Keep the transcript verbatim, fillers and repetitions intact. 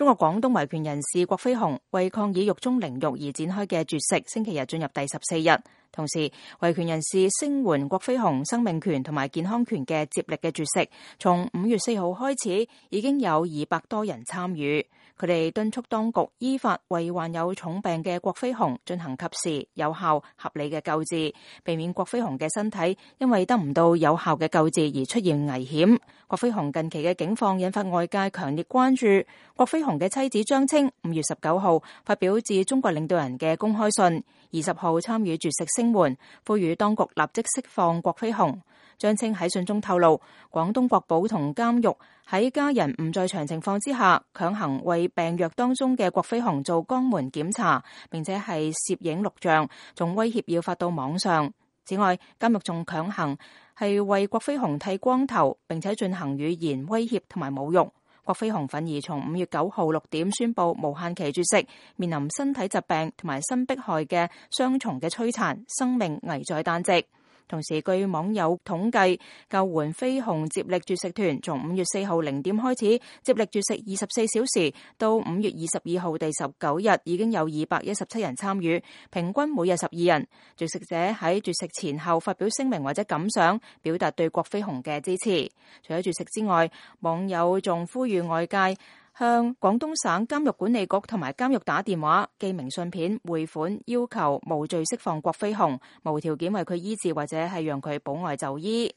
中國廣東維權人士郭飛雄為抗議獄中凌辱而展開嘅絕食，星期日進入第十四日。同時，維權人士聲援郭飛雄生命權同埋健康權嘅接力嘅絕食，從五月四號開始已經有二百多人參與。佢哋敦促當局依法為患有重病嘅郭飛雄進行及時、有效、合理嘅救治，避免郭飛雄嘅身體因為得唔到有效嘅救治而出現危險。郭飛雄近期嘅境況引發外界強烈關注。郭飛雄嘅妻子張青五月十九號發表致中國領導人嘅公開信，二十號參與絕食聲援，呼籲當局立即釋放郭飛雄。張青喺信中透露，廣東國保同監獄喺家人唔在場情況之下，強行為病藥當中嘅郭飛雄做肛門檢查，並且係攝影錄像，仲威脅要發到網上。此外，監獄仲強行係為郭飛雄剃光頭，並且進行語言威脅同埋侮辱。郭飛雄憤而從五月九號六點宣布無限期絕食，面臨身體疾病同埋新迫害嘅雙重嘅摧殘，生命危在旦夕。同時，據網友統計，救援飛雄接力絕食團從五月四號零點開始接力絕食二十四小時，到五月二十二號第十九日已經有二百一十七人參與，平均每日十二人。絕食者喺絕食前後發表聲明或者感想，表達對郭飛雄嘅支持。除咗絕食之外，網友仲呼籲外界向廣東省監獄管理局同埋監獄打電話、寄明信片、匯款，要求無罪釋放郭飛雄，無條件為佢醫治或者係讓佢保外就醫。